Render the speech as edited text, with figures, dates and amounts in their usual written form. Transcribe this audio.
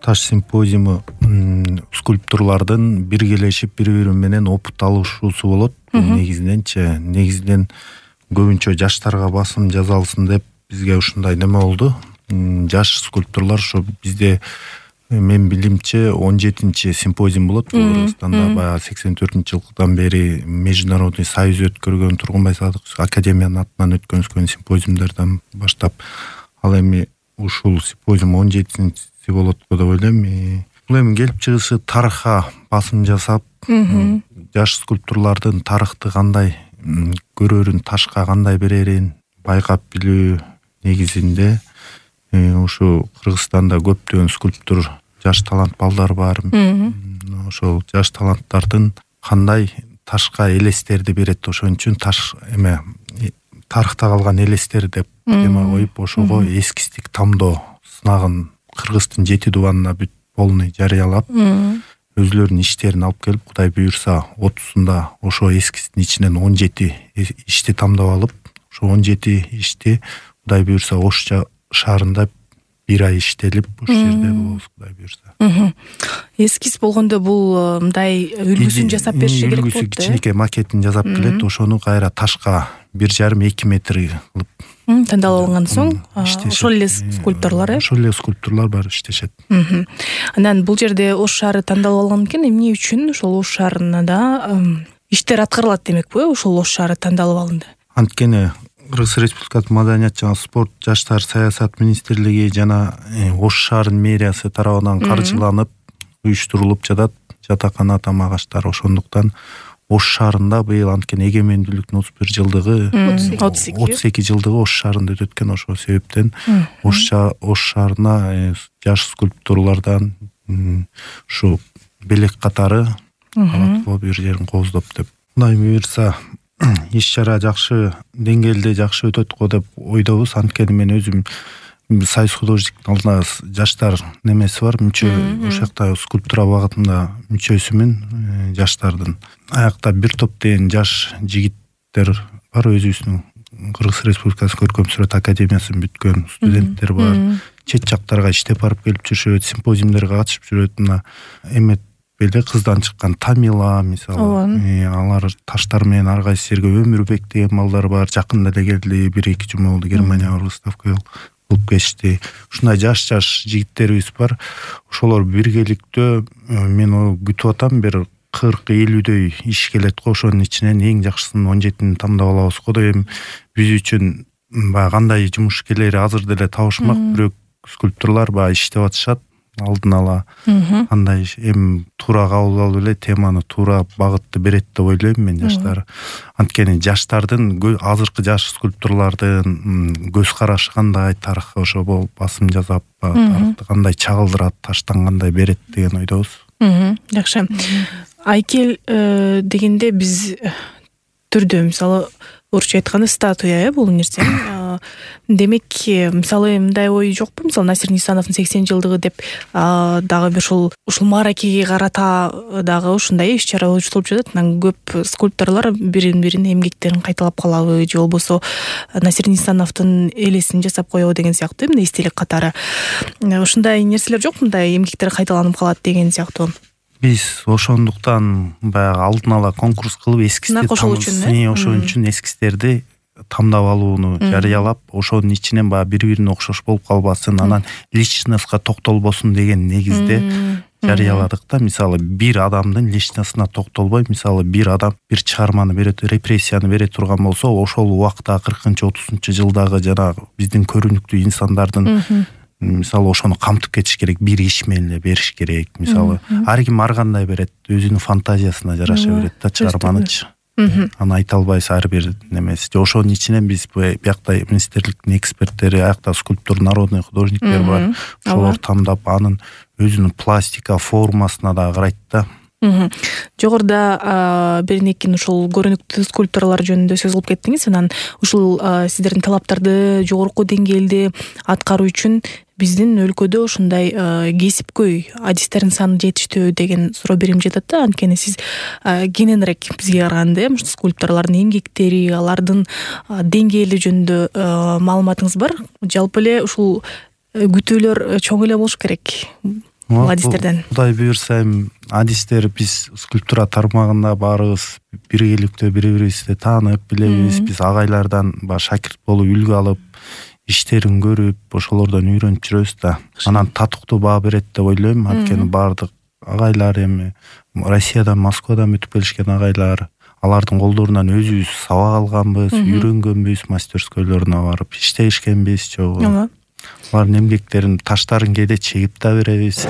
таш симпозиуму скульпторлордун биргелешип бири менен опыт алышуусу болот. Негизинен көбүнчө жаштарга басым жасалсын деп бизге ушундай неме болду. Жаш скульпторлор ошо bizde мен билимче 17-чи симпозиум болот. Кыргызстанда баягы 84-жылдан бери Международный союз өткөргөн Тургунбай Садыковский академиянын атынан өткөрүлгөн симпозиумдардан баштап ал эми ушул симпозиум 17-си болот деп ойлойм. Бул эми келип чыгышы тарыхка басым жасап, жаш скульпторлордун тарыхты кандай көрөрүн, ташка кандай берерин байкап билүү негизинде ушу Кыргызстанда көптөгөн скульптор, жаш талант балдар бар. Ошол жаш таланттардын кандай ташка элестерди берет, ошон үчүн таш эме тарыхта калган элестер деп тема коюп, ошого эскистик тамдоо сынагын Кыргыздын 7 дубанына бүт полный жарыялап, өзлөрүнүн иштерин алып келип, Кудай буйрса 30-сунда ошо эскисtin ичинен 17 ишти тамдап алып, ошо 17 ишти Кудай буйрса Ош шаарында бир ай иштелип, ушул жерде болобуз Кудай буйрса. Эскиз болгондо бул мындай үлгүсүн жасап бериш керек болот. Үлгүсү кичинекей макетин жасап келет, ошону кайра ташка 1,5-2 метр кылып тандалып алган соң ошол эле скульпторлор ошол эле скульпторлор бар иштешет. Анан бул жерде Ош шаары тандалып алган экен, эмне үчүн ошол Ош шаарында иштер аткарылат демекпи, ошол Ош шаары тандалып алынды? Анткени Кыргыз Республикасы Маданият жана спорт жаштар саясат министрлиги жана Ош шаарынын мэриясы тарабынан каржыланып уюштурулуп жатат жатакана тамак-аштар. Ошондуктан Ош шаарында быйыл анткени эгемендүүлүктүн 31 жылдыгы 32 жылдыгы Ош шаарында өтөт экен. Ошол себептен Ош шаарына жаш скульпторлордон ушу белек катары алып бир жерин кооздоп деп. Кудай буйрса иш-чара жакшы деңгээлде жакшы өтөт го деп ойдобуз. Анткени мен өзүм Союз художниктин алдында жаштар немеси бар, мүчө, ошол жакта скульптура багытында мүчөсүмүн жаштардын. Аякта бир топ деген жаш жигиттер бар, өзүбүздүн Кыргыз Республикасы көркөм сүрөт академиясын бүткөн студенттер бар. Чет жактарга иштеп барып келип жүрүшөт, симпозиумдарга катышып жүрөт. Мына эмет беле кыздан чыккан Тамила мисалы, алар таштар менен ар кайсы жерге Өмүрбек деген балдар бар. Жакында эле келди, 1-2 жума болду, Германияга выставка кылып кетишти. Ушундай жаш жигиттерибиз бар. Ошолор биргеликтөө мен күтүп атам, бир 40-50дөй иш келет го. Ошонун ичинен эң жакшысын 17-ни тандап алабыз го. Эми биз үчүн баягы кандай жумуш келери азыр деле табышмак, бирок скульпторлор баягы иштеп атышат. Алдын ала кандай эми туура кабыл алып эле теманы туура багытты берет деп ойлойм мен жаштар. Анткени жаштардын азыркы жаш скульпторлордун көз карашы кандай, тарыхка ошо басым жасап, тарыхты кандай чагылдырат, таштан кандай берет деген ойдобуз. Жакшы. Айкел дегенде биз түрдө мисалы орусча айтканда статуя бул нерсе. Демек, мисалы мындай ой жокпу? Мисалы Насир Нисановдун 80 жылдыгы деп дагы бир ушул мааракеге карата дагы ушундай иш-чара уюштурулуп жатат. Анан көп скульпторлор бирин эмгектерин кайталап калабы же болбосо Насир Нисановдун элесин жасап коебу деген сыяктуу эмне эстелик катары. Ушундай нерселер жокпу, мындай эмгектер кайталанып калат деген сыяктуу? Биз ошондуктан баягы алдын ала конкурс кылып эскизди ошон үчүн эскиздерди тамдап алууну жарыялап, ошонун ичинен баягы бири-бирине окшош болуп калбасын, анан личностька токтолбосун деген негизде жарыяладык да. Мисалы бир адамдын личностуна токтолбой, мисалы бир адам бир чыгарманы бере, репрессияны бере турган болсо, ошол убакта 40-30 жылдагы жанагы биздин көрүнүктүү инсандардын мисалы ошону камтып кетиш керек, бир иш менен эле бериш керек. Мисалы ар ким ар кандай берет, өзүнүн фантазиясына жараша берет да чыгарманычы. Аны айта албайсыз ар бир немеси. Ошонун ичинен биз биякта министрликтин эксперттери, аякта скульптор, народный художниктер бар. Ошолор тамдап, анын өзүнүн пластика формасына да карайт да. Жогоруда беринекин ушул көрүнүктүү скульпторлор жөнүндө сөз кылып кеттиңиз. Анан ушул сиздердин талаптарды жогорку деңгээлде аткаруу үчүн биздин өлкөдө ушундай кесипкөй адистердин саны жетиштүү деген суроо берим жатат да. Анткени сиз кененирээк бизге караганда скульпторлордун эмгектери, алардын деңгээли жөнүндө маалыматыңыз бар. Жалпы эле ушул күтүүлөр чоң эле болуш керек. бул адистерден? Кудай буюрса эми адистер биз скульптура тармагында баарыбыз биргеликтүү бири бирибизди таанып билебиз. Биз агайлардан баягы шакирт болуп үлгү алып иштерин көрүп ошолордон үйрөнүп жүрөбүз да. Анан татыктуу баа берет деп ойлойм. Анткени баардык агайлар эми Россиядан, Москвадан өтүп келишкен агайлар, алардын колдорунан өзүбүз сабак алганбыз, үйрөнгөнбүз, мастерскойлоруна барып иштешкенбиз чогуу. Алардын эмгектерин, таштарын кээде чегип да беребиз.